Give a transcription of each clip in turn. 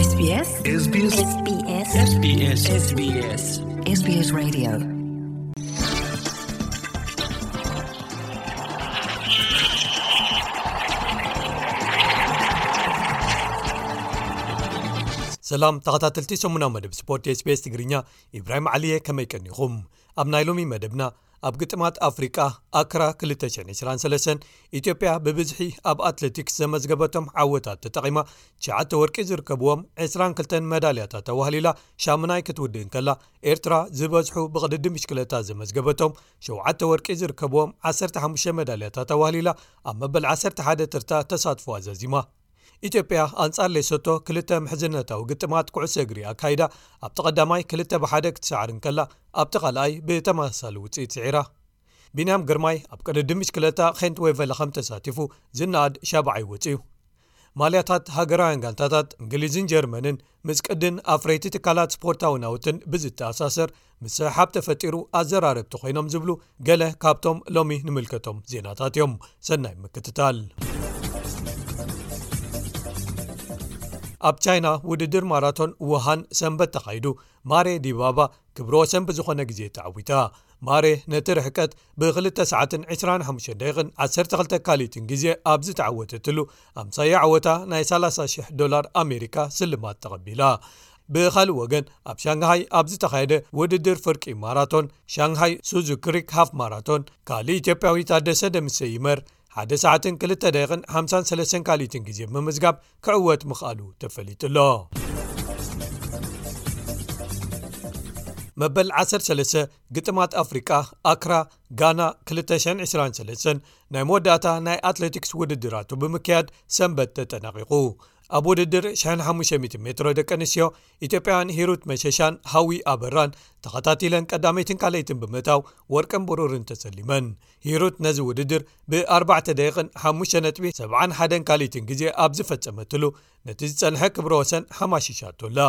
SBS SBS SBS SBS SBS Radio. ሰላም ተኸታተልቲ ሰሙናዊ መደብ ስፖርት SBS ትግርኛ፣ ኢብራሂም ዓሊየ፣ ከመይ ቀኒኹም? ኣብ ናይ ሎሚ መደብና፣ ኣብ ግጥማት ኣፍሪቃ ኣክራ ክልተ ሽሕን ዕስራን ሰለስተን፣ ኢትዮጵያ ብብዝሒ ኣብ ኣትሌቲክስ ዘመዝገበቶም ዓወታት ተጠቒማ ትሽዓተ ወርቂ ዝርከብዎም ዕስራን ክልተን መዳልያታት ኣዋህሊላ ሻምናይ ክትውድእ እንከላ፣ ኤርትራ ዝበዝሑ ብቕድድም ብሽክለታ ዘመዝገበቶም ሸውዓተ ወርቂ ዝርከብዎም ዓሰርተ ሓሙሽተ መዳልያታት ኣዋህሊላ ኣብ መበል ዓሰርተ ሓደ ተርታ ተሳትፎ ኣዛዚማ። ኢትዮጵያ ኣንጻር ሌሶቶ ክልተ ምሕዝነታዊ ግጥማት ኩዕሶ እግሪ ኣካይዳ ኣብቲ ቀዳማይ ክልተ ብሓደ ክትሰዓር እንከላ፣ ኣብቲ ካልኣይ ብተመሳሳሊ ውጽኢት ስዒራ። ቢንያም ግርማይ ኣብ ቅድድም ብሽክለታ ኸንት ዌቨለ ከም ተሳቲፉ ዝነኣድ ሻብዓይ ወጺኡ። ማልያታት ሃገራውያን ጋንታታት እንግሊዝን ጀርመንን ምስ ቅድን ኣፍረይቲ ትካላት ስፖርታዊ ናውትን ብዝተኣሳሰር ምስሕሓብ ተፈጢሩ ኣዘራረብቲ ኮይኖም ዝብሉ ገለ ካብቶም ሎሚ ንምልከቶም ዜናታት እዮም። ሰናይ ምክትታል። ኣብ ቻይና ውድድር ማራቶን ውሃን ሰንበት ተኻይዱ፣ ማሬ ዲባባ ክብረ ወሰን ብዝኾነ ግዜ ተዓዊታ። ማሬ ነቲ ርሕቀት ብክልተ ሰዓትን ዕስራን ሓሙሽተ ደቂቕን ዓሰርተ ክልተ ካሊትን ግዜ ኣብ ዝተዓወተትሉ፣ ኣምሳያ ዓወታ ናይ ሰላሳ ሽሕ ዶላር ኣሜሪካ ስልማት ተቐቢላ። ብኻልእ ወገን፣ ኣብ ሻንግሃይ ኣብ ዝተኻየደ ውድድር ፍርቂ ማራቶን፣ ሻንግሃይ ሱዙ ክሪክ ሃፍ ማራቶን፣ ካልእ ኢትዮጵያዊ ታደሰ ደምሰ ይመር ሓደ ሰዓትን ክልተ ደቂቕን ሓምሳን ሰለስተን ካሊትን ግዜ ብምምዝጋብ ክዕወት ምኽኣሉ ተፈሊጡ ኣሎ። መበል ዓሰርተ ሰለስተ ግጥማት ኣፍሪቃ ኣክራ ጋና ክልተ ሽሕን ዕስራን ሰለስተን ናይ መወዳእታ ናይ ኣትሌቲክስ ውድድራቱ ብምክያድ ሰንበት ተጠናቒቑ። ኣብ ውድድር ሽሕን ሓሙሽተ ሚእትን ሜትሮ ደቂ ኣንስትዮ፣ ኢትዮጵያውያን ሂሩት መሸሻን ሃዊ ኣበራን ተኸታቲለን ቀዳመይትን ካልኣይትን ብምእታው ወርቅን ብሩርን ተሰሊመን። ሂሩት ነዚ ውድድር ብኣርባዕተ ደቂቕን ሓሙሽተ ነጥቢ ሰብዓን ሓደን ካልኣይትን ግዜ ኣብ ዝፈጸመትሉ፣ ነቲ ዝጸንሐ ክብረ ወሰን ሓማሺሻቶ ኣላ።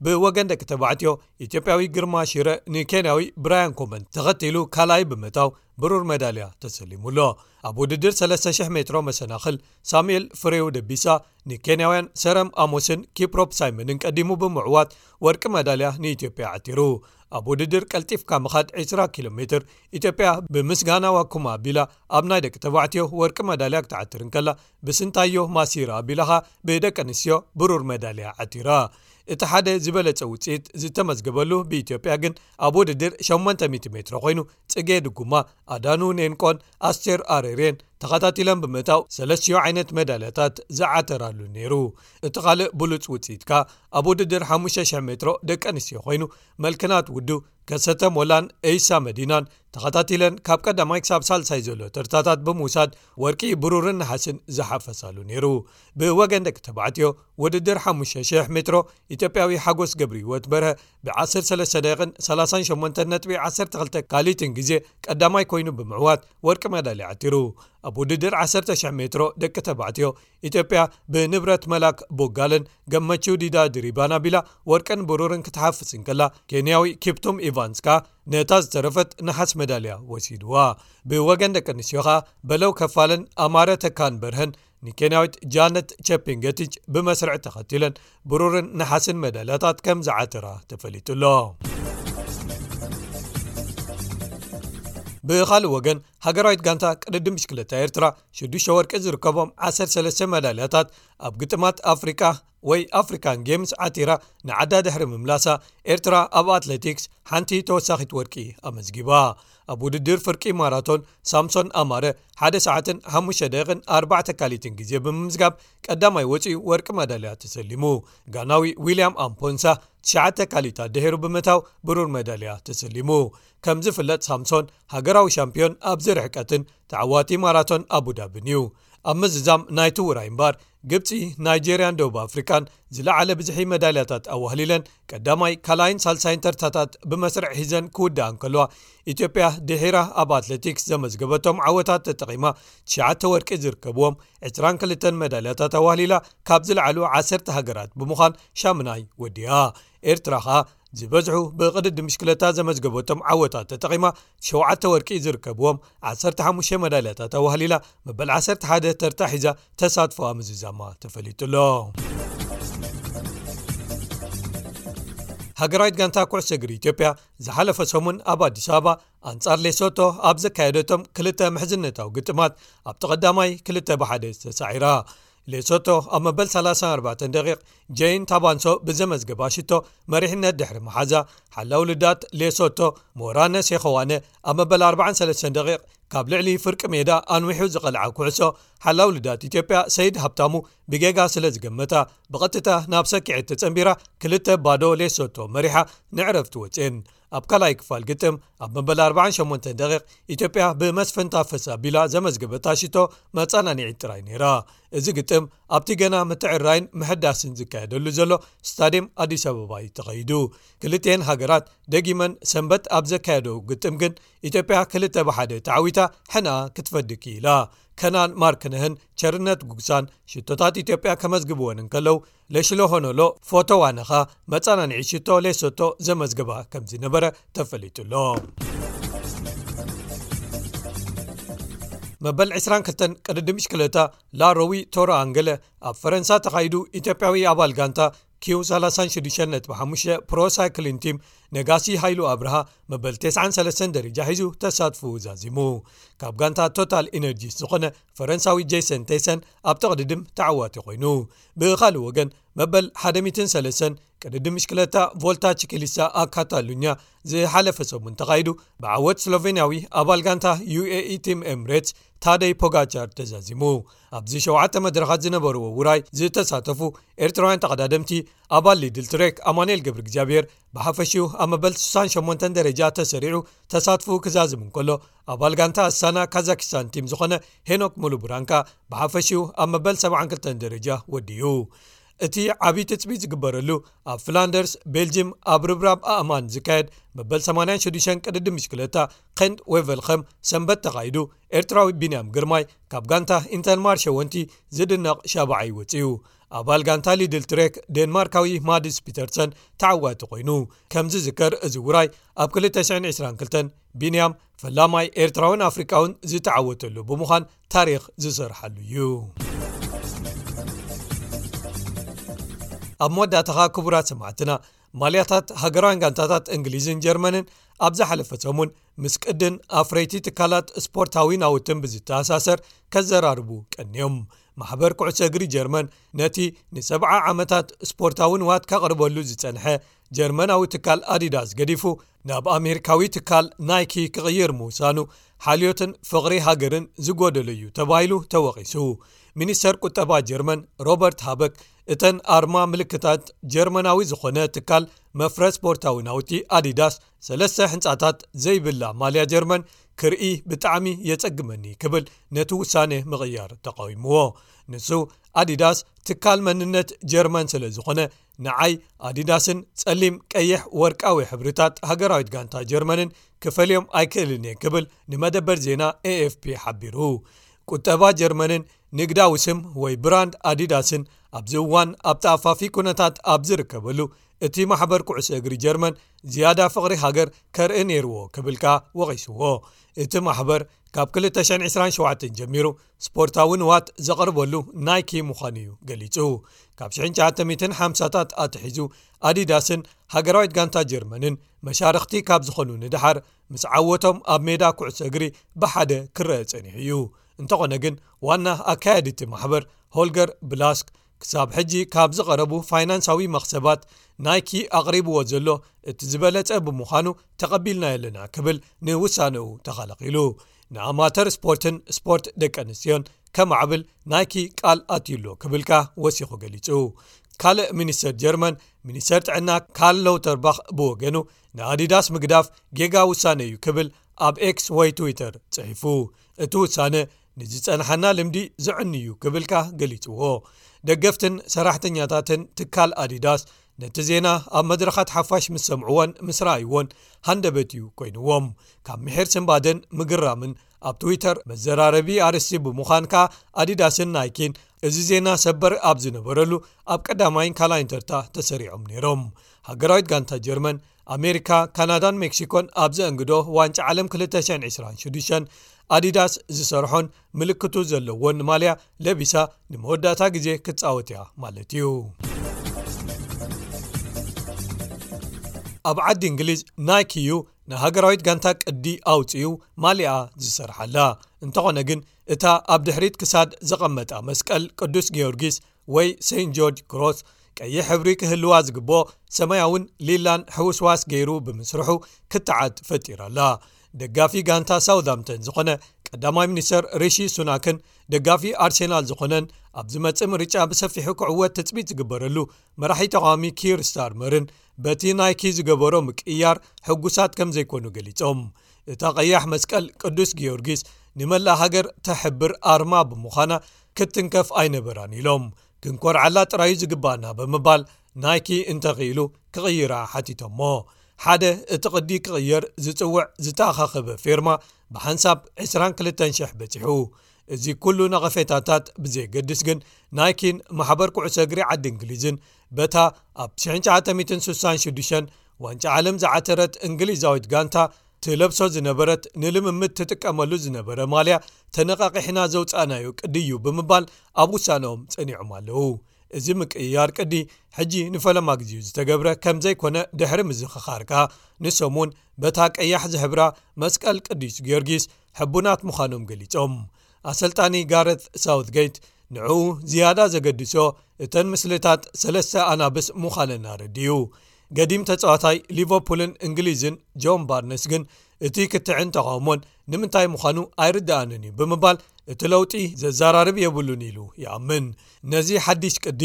ብወገን ደቂ ተባዕትዮ፣ ኢትዮጵያዊ ግርማ ሽረ ንኬንያዊ ብራያን ኮመን ተኸቲሉ ካልኣይ ብምእታው ብሩር መዳልያ ተሰሊሙ ኣሎ። ኣብ ውድድር ሰለስተ ሽሕ ሜትሮ መሰናኽል፣ ሳሙኤል ፍሬው ደቢሳ ንኬንያውያን ሰረም ኣሞስን ኪፕሮፕ ሳይመንን ቀዲሙ ብምዕዋት ወርቂ መዳልያ ንኢትዮጵያ ዓቲሩ። ኣብ ውድድር ቀልጢፍካ ምኻድ ዕስራ ኪሎ ሜትር፣ ኢትዮጵያ ብምስጋና ዋኩማ ኣቢላ ኣብ ናይ ደቂ ተባዕትዮ ወርቂ መዳልያ ክትዓትር እንከላ፣ ብስንታዮ ማሲራ ኣቢላ ኸኣ ብደቂ ኣንስትዮ ብሩር መዳልያ ዓቲራ። እቲ ሓደ ዝበለጸ ውጽኢት ዝተመዝገበሉ ብኢትዮጵያ ግን ኣብ ውድድር ሸሞንተ ሚእቲ ሜትሮ ኮይኑ፣ ጽጌ ድጉማ፣ ኣዳኑ ኔንቆን ኣስቴር ኣሬሬን ተኸታቲለን ብምእታው ሰለስቲዮ ዓይነት መዳልያታት ዝዓተራሉ ነይሩ። እቲ ካልእ ብሉጽ ውጽኢት ከኣ ኣብ ውድድር ሓሙሽተ ሽሕ ሜትሮ ደቂ ኣንስትዮ ኮይኑ፣ መልክናት ውዱ፣ ከሰተ ሞላን ኤይሳ መዲናን ተኸታቲለን ካብ ቀዳማይ ክሳብ ሳልሳይ ዘሎ ተርታታት ብምውሳድ ወርቂ፣ ብሩርን ነሓስን ዝሓፈሳሉ ነይሩ። ብወገን ደቂ ተባዕትዮ ውድድር ሓሙሽተ ሽሕ ሜትሮ፣ ኢትዮጵያዊ ሓጎስ ገብረ ህይወት በርሀ ብ ዓሰርተ ሰለስተ ደቂቕን ሰላሳን ሸሞንተን ነጥቢ ዓሰርተ ክልተ ካልኢትን ግዜ ቀዳማይ ኮይኑ ብምዕዋት ወርቂ መዳልያ ዓቲሩ። ኣብ ውድድር ዓሰርተ ሽሕ ሜትሮ ደቂ ተባዕትዮ፣ ኢትዮጵያ ብንብረት መላክ ቦጋለን ገመቹ ዲዳ ድሪባን ኣቢላ ወርቅን ብሩርን ክትሓፍስ እንከላ፣ ኬንያዊ ኪፕቱም ኢቫንስ ከኣ ነታ ዝተረፈት ነሓስ መዳልያ ወሲድዋ። ብወገን ደቂ ኣንስትዮ ከኣ በለው ከፋለን ኣማረ ተካን በርሀን ንኬንያዊት ጃነት ቸፒንገቲች ብመስርዕ ተኸቲለን ብሩርን ነሓስን መዳልያታት ከም ዝዓተራ ተፈሊጡ ኣሎ። ብኻልእ ወገን፣ ሃገራዊት ጋንታ ቅድድም ብሽክለታ ኤርትራ ሽዱሽተ ወርቂ ዝርከቦም ዓሰርተ ሰለስተ መዳልያታት ኣብ ግጥማት ኣፍሪቃ ወይ ኣፍሪካን ጌምስ ዓቲራ ንዓዳ ድሕሪ ምምላሳ፣ ኤርትራ ኣብ ኣትሌቲክስ ሓንቲ ተወሳኺት ወርቂ ኣመዝጊባ። ኣብ ውድድር ፍርቂ ማራቶን፣ ሳምሶን ኣማረ ሓደ ሰዓትን ሓሙሽተ ደቂቕን ኣርባዕተ ካልኢትን ግዜ ብምምዝጋብ ቀዳማይ ወጺኡ ወርቂ መዳልያ ተሰሊሙ። ጋናዊ ዊልያም ኣምፖንሳ ትሽዓተ ካልኢታት ድሒሩ ብምእታው ብሩር መዳልያ ተሰሊሙ። ከም ዝፍለጥ፣ ሳምሶን ሃገራዊ ሻምፒዮን ኣብዚ ርሕቀትን ተዓዋቲ ማራቶን ኣቡዳብን እዩ። ኣብ ምዝዛም ናይቲ ውራይ እምበኣር፣ ግብጺ፣ ናይጄርያን ደቡብ ኣፍሪቃን ዝለዓለ ብዝሒ መዳልያታት ኣዋህሊለን ቀዳማይ፣ ካልኣይን ሳልሳይን ተርታታት ብመስርዕ ሒዘን ክውድኣ እንከለዋ፣ ኢትዮጵያ ድሒራ ኣብ ኣትሌቲክስ ዘመዝገበቶም ዓወታት ተጠቒማ ትሽዓተ ወርቂ ዝርከብዎም ዕስራን ክልተን መዳልያታት ኣዋህሊላ ካብ ዝለዓሉ ዓሰርተ ሃገራት ብምዃን ሻምናይ ወዲኣ። ኤርትራ ኸኣ ዝበዝሑ ብቕድድም ብሽክለታ ዘመዝገበቶም ዓወታት ተጠቒማ ሸውዓተ ወርቂ ዝርከብዎም ዓሰርተ ሓሙሽተ መዳልያታት ኣዋህሊላ መበል ዓሰርተ ሓደ ተርታ ሒዛ ተሳትፎኣ ምዝዛማ ተፈሊጡ ኣሎ። ሃገራዊት ጋንታ ኩዕሶ እግሪ ኢትዮጵያ ዝሓለፈ ሰሙን ኣብ ኣዲስ ኣበባ ኣንጻር ሌሶቶ ኣብ ዘካየደቶም ክልተ ምሕዝነታዊ ግጥማት ኣብቲ ቀዳማይ ክልተ ብሓደ ተሳዒራ። ሌሶቶ ኣብ መበል ሰላሳን ኣርባዕተን ደቂቕ ጄይን ታባንሶ ብዘመዝገባ ሽቶ መሪሕነት ድሕሪ መሓዛ፣ ሓላው ልዳት ሌሶቶ ሞራነ ሴኸዋነ ኣብ መበል ኣርባዓን ሰለስተን ደቂቕ ካብ ልዕሊ ፍርቂ ሜዳ ኣንዊሑ ዝቐልዓ ኩዕሶ፣ ሓላው ልዳት ኢትዮጵያ ሰይድ ሃብታሙ ብጌጋ ስለ ዝገመታ፣ ብቐጥታ ናብ ሰኪዐት ተጸንቢራ ክልተ ባዶ ሌሶቶ መሪሓ ንዕረፍቲ ወጽኤን። ኣብ ካልኣይ ክፋል ግጥም ኣብ መበል ኣርባዓን ሸሞንተን ደቂቕ ኢትዮጵያ ብመስፍን ታፈሰ ኣቢላ ዘመዝገበታ ሽቶ መጸናንዒት ጥራይ ነይራ። እዚ ግጥም ኣብቲ ገና ምትዕራይን ምሕዳስን ዝካየደሉ ዘሎ ስታድየም ኣዲስ ኣበባ እዩ ተኻይዱ። ክልቲኤን ሃገራት ደጊመን ሰንበት ኣብ ዘካየደው ግጥም ግን ኢትዮጵያ ክልተ ብሓደ ተዓዊታ ሕና ክትፈዲ ክኢላ። ከናን ማርክነህን ቸርነት ጉግሳን ሽቶታት ኢትዮጵያ ከመዝግብወን እንከለዉ፣ ለሽሎ ሆኖሎ ፎቶ ዋነኻ መጸናንዒ ሽቶ ሌሶቶ ዘመዝገባ ከም ዝነበረ ተፈሊጡ ኣሎ። መበል ዕስራን ክልተን ቅድድም ብሽክለታ ላሮዊ ቶሮ ኣንገለ ኣብ ፈረንሳ ተኻይዱ፣ ኢትዮጵያዊ ኣባል ጋንታ ኪው ሰላሳን ሽዱሽተን ነጥቢ ሓሙሽተ ፕሮ ሳይክሊን ቲም ነጋሲ ሃይሉ ኣብርሃ መበል ተስዓን ሰለስተን ደረጃ ሒዙ ተሳትፎ ዛዚሙ። ካብ ጋንታ ቶታል ኢነርጂስ ዝኾነ ፈረንሳዊ ጄሰን ቴሰን ኣብ ተቕድድም ተዓዋቲ ኮይኑ። ብኻልእ ወገን መበል ሓደ ሚእትን ሰለስተን ቅድድም ብሽክለታ ቮልታ ቺኪሊሳ ኣብ ካታሉኛ ዝሓለፈ ሰሙን ተኻይዱ፣ ብዓወት ስሎቬንያዊ ኣባል ጋንታ ዩ ኤ ኢ ቲም ኤምሬትስ ታደይ ፖጋቻር ተዛዚሙ። ኣብዚ ሸውዓተ መድረኻት ዝነበርዎ ውራይ ዝተሳተፉ ኤርትራውያን ተቐዳደምቲ፣ ኣባል ሊድል ትሬክ ኣማኑኤል ገብረ እግዚኣብሔር ብሓፈሽኡ ኣብ መበል ስሳን ሸሞንተን ደረጃ ተሰሪዑ ተሳትፎ ክዛዝም እንከሎ፣ ኣባል ጋንታ ኣሳና ካዛኪስታን ቲም ዝኾነ ሄኖክ ሙሉ ብራንካ ብሓፈሽኡ ኣብ መበል ሰብዓን ክልተን ደረጃ ወዲኡ። እቲ ዓቢ ትጽቢት ዝግበረሉ ኣብ ፍላንደርስ ቤልጅም ኣብ ርብራብ ኣእማን ዝካየድ መበል ሰማንያን ሽዱሽተን ቅድድም ብሽክለታ ኸንት ዌቨልኸም ሰንበት ተኻይዱ፣ ኤርትራዊ ቢንያም ግርማይ ካብ ጋንታ ኢንተርማርሸ ወንቲ ዝድነቕ ሻብዓይ ወጺኡ። ኣባል ጋንታ ሊድል ትሬክ ዴንማርካዊ ማድስ ፒተርሰን ተዓዋቲ ኮይኑ። ከም ዝዝከር፣ እዚ ውራይ ኣብ ክልተ ሽሕን ዕስራን ክልተን ቢንያም ፈላማይ ኤርትራውን ኣፍሪቃውን ዝተዓወተሉ ብምዃን ታሪኽ ዝሰርሓሉ እዩ። ኣብ መወዳእታኻ ክቡራት ሰማዕትና፣ ማልያታት ሃገራውያን ጋንታታት እንግሊዝን ጀርመንን ኣብ ዝሓለፈ ሰሙን ምስ ቅድን ኣፍረይቲ ትካላት ስፖርታዊ ናውትን ብዝተኣሳሰር ከዘራርቡ ቀንዮም። ማሕበር ኩዕሶ እግሪ ጀርመን ነቲ ንሰብዓ ዓመታት ስፖርታዊ ንዋት ከቕርበሉ ዝጸንሐ ጀርመናዊ ትካል ኣዲዳስ ገዲፉ ናብ ኣሜሪካዊ ትካል ናይኪ ክቕይር ምውሳኑ ሓልዮትን ፍቕሪ ሃገርን ዝጎደሎ እዩ ተባሂሉ ተወቒሱ። ሚኒስተር ቁጠባ ጀርመን ሮበርት ሃበክ እተን ኣርማ ምልክታት ጀርመናዊ ዝኾነ ትካል መፍረ ስፖርታዊ ናውቲ ኣዲዳስ ሰለስተ ሕንጻታት ዘይብላ ማልያ ጀርመን ክርኢ ብጣዕሚ የጸግመኒ ክብል ነቲ ውሳነ ምቕያር ተቃዊምዎ። ንሱ ኣዲዳስ ትካል መንነት ጀርመን ስለ ዝኾነ ንዓይ ኣዲዳስን ጸሊም፣ ቀይሕ፣ ወርቃዊ ሕብርታት ሃገራዊት ጋንታ ጀርመንን ክፈልዮም ኣይክእልን እየ ክብል ንመደበር ዜና ኤ ኤፍ ፒ ሓቢሩ። ቁጠባ ጀርመንን ንግዳዊ ስም ወይ ብራንድ ኣዲዳስን ኣብዚ እዋን ኣብ ተኣፋፊ ኩነታት ኣብ ዝርከበሉ፣ እቲ ማሕበር ኩዕሶ እግሪ ጀርመን ዝያዳ ፍቕሪ ሃገር ከርኢ ነይርዎ ክብል ከኣ ወቒስዎ። እቲ ማሕበር ካብ ክልተ ሽሕን ዕስራን ሸውዓተን ጀሚሩ ስፖርታዊ ንዋት ዘቕርበሉ ናይኪ ምዃኑ እዩ ገሊጹ። ካብ ሽሕን ትሽዓተ ሚእትን ሓምሳታት ኣትሒዙ ኣዲዳስን ሃገራዊት ጋንታ ጀርመንን መሻርኽቲ ካብ ዝኾኑ ንደሓር፣ ምስ ዓወቶም ኣብ ሜዳ ኩዕሶ እግሪ ብሓደ ክረአ ጸኒሑ እዩ። እንተኾነ ግን ዋና ኣካያዲ እቲ ማሕበር ሆልገር ብላስክ ክሳብ ሕጂ ካብ ዝቐረቡ ፋይናንሳዊ መኽሰባት ናይኪ ኣቕሪብዎ ዘሎ እቲ ዝበለጸ ብምዃኑ ተቐቢልናዮ ኣለና ክብል ንውሳነኡ ተኸላኺሉ። ንኣማተር ስፖርትን ስፖርት ደቂ ኣንስትዮን ከማዕብል ናይኪ ቃል ኣትዩ ኣሎ ክብል ከኣ ወሲኹ ገሊጹ። ካልእ ሚኒስተር ጀርመን፣ ሚኒስተር ጥዕና ካርል ላውተርባኽ ብወገኑ ንኣዲዳስ ምግዳፍ ጌጋ ውሳነ እዩ ክብል ኣብ ኤክስ ወይ ትዊተር ጽሒፉ። እቲ ውሳነ ንዝጸንሓና ልምዲ ዘዕኑ እዩ ክብል ከኣ ገሊጽዎ። ደገፍትን ሰራሕተኛታትን ትካል ኣዲዳስ ነቲ ዜና ኣብ መድረኻት ሓፋሽ ምስ ሰምዕዎን ምስ ረኣይዎን ሃንደበት እዩ ኮይንዎም። ካብ ምሒር ስንባደን ምግራምን ኣብ ትዊተር መዘራረቢ ኣርእስቲ ብምዃን ከኣ ኣዲዳስን ናይኪን እዚ ዜና ሰበር ኣብ ዝነበረሉ ኣብ ቀዳማይን ካልኣይን ተርታ ተሰሪዖም ነይሮም። ሃገራዊት ጋንታ ጀርመን፣ ኣሜሪካ፣ ካናዳን ሜክሲኮን ኣብ ዘእንግዶ ዋንጫ ዓለም ክልተ ሽሕን ዕስራን ሽዱሽተን ኣዲዳስ ዝሰርሖን ምልክቱ ዘለዎን ማልያ ለቢሳ ንመወዳእታ ግዜ ክትጻወት እያ ማለት እዩ። ኣብ ዓዲ እንግሊዝ ናይኪ እዩ ንሃገራዊት ጋንታ ቅዲ ኣውፅኡ ማሊኣ ዝሰርሓላ። እንተኾነ ግን እታ ኣብ ድሕሪት ክሳድ ዘቐመጣ መስቀል ቅዱስ ጊዮርጊስ ወይ ሴንት ጆርጅ ክሮስ ቀይሕ ሕብሪ ክህልዋ ዝግብኦ ሰማያውን ሊላን ሕውስዋስ ገይሩ ብምስርሑ ክትዓት ፈጢራላ። ደጋፊ ጋንታ ሳውዝሃምተን ዝኾነ ቀዳማይ ሚኒስተር ሪሺ ሱናክን ደጋፊ ኣርሴናል ዝኾነን ኣብ ዝመጽእ ምርጫ ብሰፊሑ ክዕወት ትጽቢት ዝግበረሉ መራሒ ተቃዋሚ ኪር ስታርመርን በቲ ናይኪ ዝገበሮ ምቅያር ሕጉሳት ከም ዘይኮኑ ገሊጾም። እታ ቀያሕ መስቀል ቅዱስ ጊዮርጊስ ንመላእ ሃገር ተሕብር ኣርማ ብምዃና ክትንከፍ ኣይነበራን ኢሎም። ክንኮርዓላ ጥራዩ ዝግባኣና ብምባል ናይኪ እንተኽኢሉ ክቕይራ ሓቲቶሞ። ሓደ እቲ ቅዲ ክቕየር ዝጽውዕ ዝተኣኻኸበ ፌርማ ብሓንሳብ ዕስራን ክልተን ሽሕ በጺሑ። እዚ ኩሉ ነቐፌታታት ብዘየገድስ ግን ናይኪን ማሕበር ኩዕሶ እግሪ ዓዲ እንግሊዝን በታ ኣብ ትሽዓተ ሚእትን ስሳን ሽዱሽተን ዋንጫ ዓለም ዝዓተረት እንግሊዛዊት ጋንታ ትለብሶ ዝነበረት ንልምምድ ትጥቀመሉ ዝነበረ ማልያ ተነቃቂሕና ዘውፃእናዮ ቅዲ እዩ ብምባል ኣብ ውሳነኦም ጸኒዖም ኣለዉ። እዚ ምቅይያር ቅዲ ሕጂ ንፈለማ ግዜኡ ዝተገብረ ከም ዘይኮነ ድሕሪ ምዝኽኻር ከኣ ንሶም እውን በታ ቀያሕ ዝሕብራ መስቀል ቅዱስ ጊዮርጊስ ሕቡናት ምዃኖም ገሊጾም። ኣሰልጣኒ ጋረት ሳውትጌት ንዕኡ ዝያዳ ዘገድሶ እተን ምስልታት ሰለስተ ኣናብስ ምዃነን ኣረዲኡ። ገዲም ተጻዋታይ ሊቨርፑልን እንግሊዝን ጆን ባርነስ ግን እቲ ክትዕን ተቓውሞን ንምንታይ ምዃኑ ኣይርድኣንን እዩ ብምባል እቲ ለውጢ ዘዘራርብ የብሉን ኢሉ ይኣምን። ነዚ ሓድሽ ቅዲ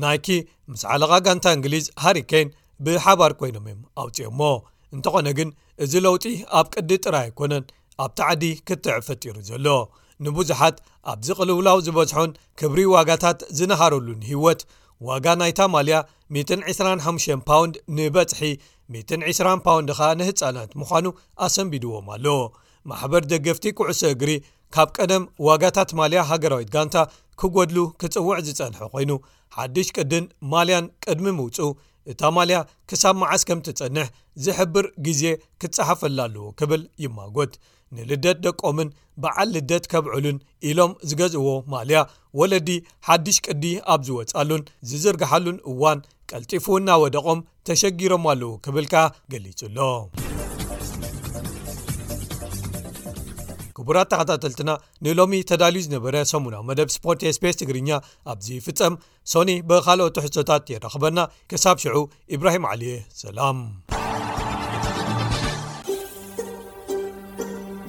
ናይኪ ምስ ዓለቓ ጋንታ እንግሊዝ ሃሪ ኬን ብሓባር ኮይኖም እዮም ኣውፅኦሞ። እንተኾነ ግን እዚ ለውጢ ኣብ ቅዲ ጥራይ ኣይኮነን ኣብቲ ዓዲ ክትዕ ፈጢሩ ዘሎ። ንብዙሓት ኣብዚ ቅልውላው ዝበዝሖን ክብሪ ዋጋታት ዝነሃረሉን ህይወት ዋጋ ናይታ ማልያ ሚእትን ዕስራን ሓሙሽተን ፓውንድ ንበጽሒ ሚእትን ዕስራን ፓውንድ ኸኣ ንህጻናት ምዃኑ ኣሰንቢድዎም ኣሎ። ማሕበር ደገፍቲ ኩዕሶ እግሪ ካብ ቀደም ዋጋታት ማልያ ሃገራዊት ጋንታ ክጎድሉ ክጽውዕ ዝጸንሐ ኮይኑ ሓድሽ ቅድን ማልያን ቅድሚ ምውጽኡ እታ ማልያ ክሳብ መዓስ ከም ትጸንሕ ዝሕብር ግዜ ክጸሓፈላ ኣለዎ ክብል ይማጎት። ንልደት ደቆምን በዓል ልደት ከብዕሉን ኢሎም ዝገዝእዎ ማልያ ወለዲ ሓድሽ ቅዲ ኣብ ዝወጻሉን ዝዝርግሓሉን እዋን ቀልጢፉ እናወደቖም ተሸጊሮም ኣለዉ ክብል ከኣ ገሊጹ ኣሎ። ክቡራት ተኸታተልትና ንሎሚ ተዳልዩ ዝነበረ ሰሙናዊ መደብ ስፖርት ኤስቤስ ትግርኛ ኣብዚ ይፍጸም። ሶኒ ብኻልኦት ትሕዝቶታት የራኽበና። ክሳብ ሽዑ ኢብራሂም ዓሊየ ሰላም።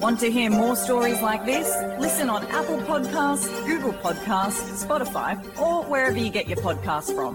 Want to hear more stories like this? Listen on Apple Podcasts, Google Podcasts, Spotify, or wherever you get your podcasts from.